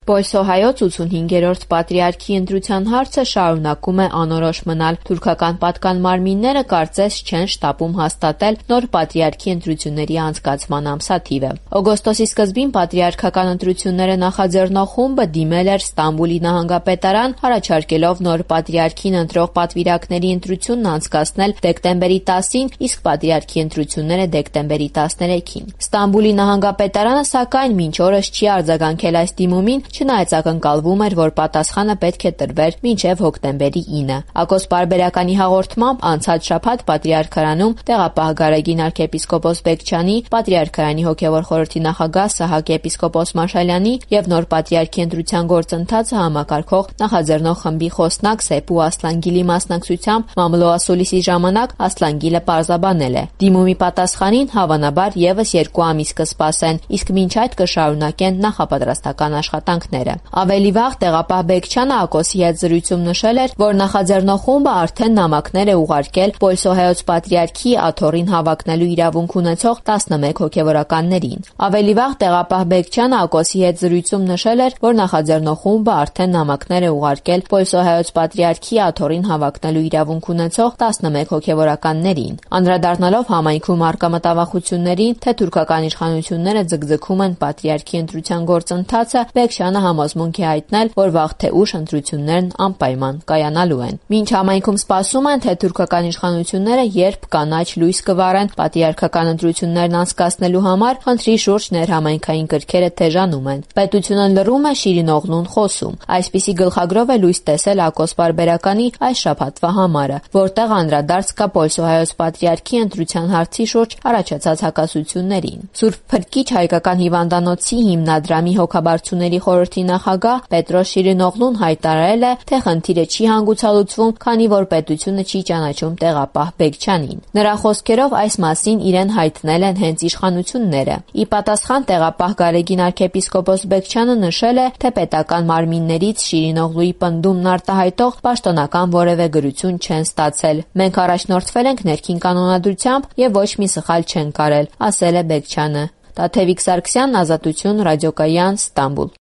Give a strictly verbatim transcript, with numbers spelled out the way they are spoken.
Պոլսոհայոց ութսունհինգերորդ պատրիարքի ընտրության հարցը շարունակում է անորոշ մնալ։ Թուրքական պատկան մարմինները կարծես չեն շտապում հաստատել նոր պատրիարքի ընտրությունների անցկացման ամսաթիվը։ Օգոստոսի սկզբին պատրիարքական ընտրությունները նախաձեռնող խումբը դիմել էր Ստամբուլի նահանգապետարան, առաջարկելով նոր պատրիարքին ընտրող պատվիրակների ընտրությունն անցկացնել դեկտեմբերի տասին, իսկ պատրիարքի ընտրությունները դեկտեմբերի տասներեքին։ Ստամբուլի նահանգապետարանը սակայն մինչ օրս չի արձագանքել այս դիմումին, չնայած ակնկալվում էր, որ պատասխանը պետք է տրվեր մինչև հոկտեմբերի ինը։ Ակոս Պարբերականի հաղորդմամբ անցած շաբաթ պատրիարքարանում տեղապահ Գարեգին arczepiskopos Բեկչյանի, պատրիարքարանի հոգևոր խորհրդի նախագահ Սահակ եպիսկոպոս Մաշալյանի եւ նոր պատրիարքի ընտրության գործընթացը համակարգող նախաձեռնող խմբի խոսնակ Սեպու Ասլանգիլի մասնակցությամբ մամլոասուլիսի ժամանակ Ասլանգիլը պարզաբանել է. դիմումի պատասխանին հավանաբար եւս երկու ամիս կսպասեն, իսկ մինչ այդ կշարունակեն նախապատրաստական աշխատանքները։ Ավելի վաղ տեղապահ Բեկչյանը Ակոսի հետ զրույցում նշել էր, որ նախաձեռնող խումբը արդեն նամակներ է ուղարկել Պոլսոհայոց պատրիարքի աթոռին հավակնելու իրավունք ունեցող տասնմեկ հոգևորականներին։ Ավելի վաղ տեղապահ Բեկչյանը Ակոսի հետ զրույցում նշել էր, որ նախաձեռնող խումբը արդեն նամակներ է ուղարկել Պոլսոհայոց պատրիարքի աթոռին հավակնելու իրավունք ունեցող տասնմեկ հոգևորականներին։ Անդրադառնալով համայնքում առկա մտավախություններին, թե թուրքական իշխանությունները ձգձգում են պատրիարքի ընտրության գործընթացը, Բեկչյանը համոզմունք է հայտնել, որ վաղ թե ուշ ընտրություններն անպայման կայանալու են։ Մինչ համայնքում սպասում են, թե թուրքական իշխանությունները երբ կանաչ լույս կվառեն պատրիարքական ընտրություններն անցկացնելու համար, խնդրի շուրջ ներհամայնքային կրքերը թեժանում են։ Պետությունը լռում է, Շիրինօղլուն խոսում։ Այսպիսի գլխագրով է լույս տեսել Ակոս Պարբերականի այս շաբաթվա համարը, որտեղ անդրադարձ կա Պոլսոհայոց պատրիարքի ընտրության հարցի շուրջ առաջացած հակասություններին։ Սուրբ Փրկիչ հայկական հիվանդանոցի հիմնադրամի հոգաբարձուների խորհրդի նախագահ Պետրոս Շիրինօղլուն հայտարարել է, թե խնդիրը չի հանգուցալուծվում, քանի որ պետությունը չի ճանաչում տեղապահ Բեկչյանին։ Նրա խոսքերով այս մասին իրեն հայտնել են հենց իշխանությունները։ Ի պատասխան տեղապահ Գարեգին arczepiskopos Բեկչյանը նշել է, թե պետական մարմիններից Շիրինօղլուի պնդումն արտահայտող պաշտոնական որևէ գրություն չեն ստացել։ Մենք առաջնորդվել ենք ներքին կանոնադրությամբ եւ ոչ մի սխալ չենք արել, ասել է Բեկչյանը։ Տաթևիկ Սարգսյան, Ազատություն, Ռադիոկայան, Ստամբուլ։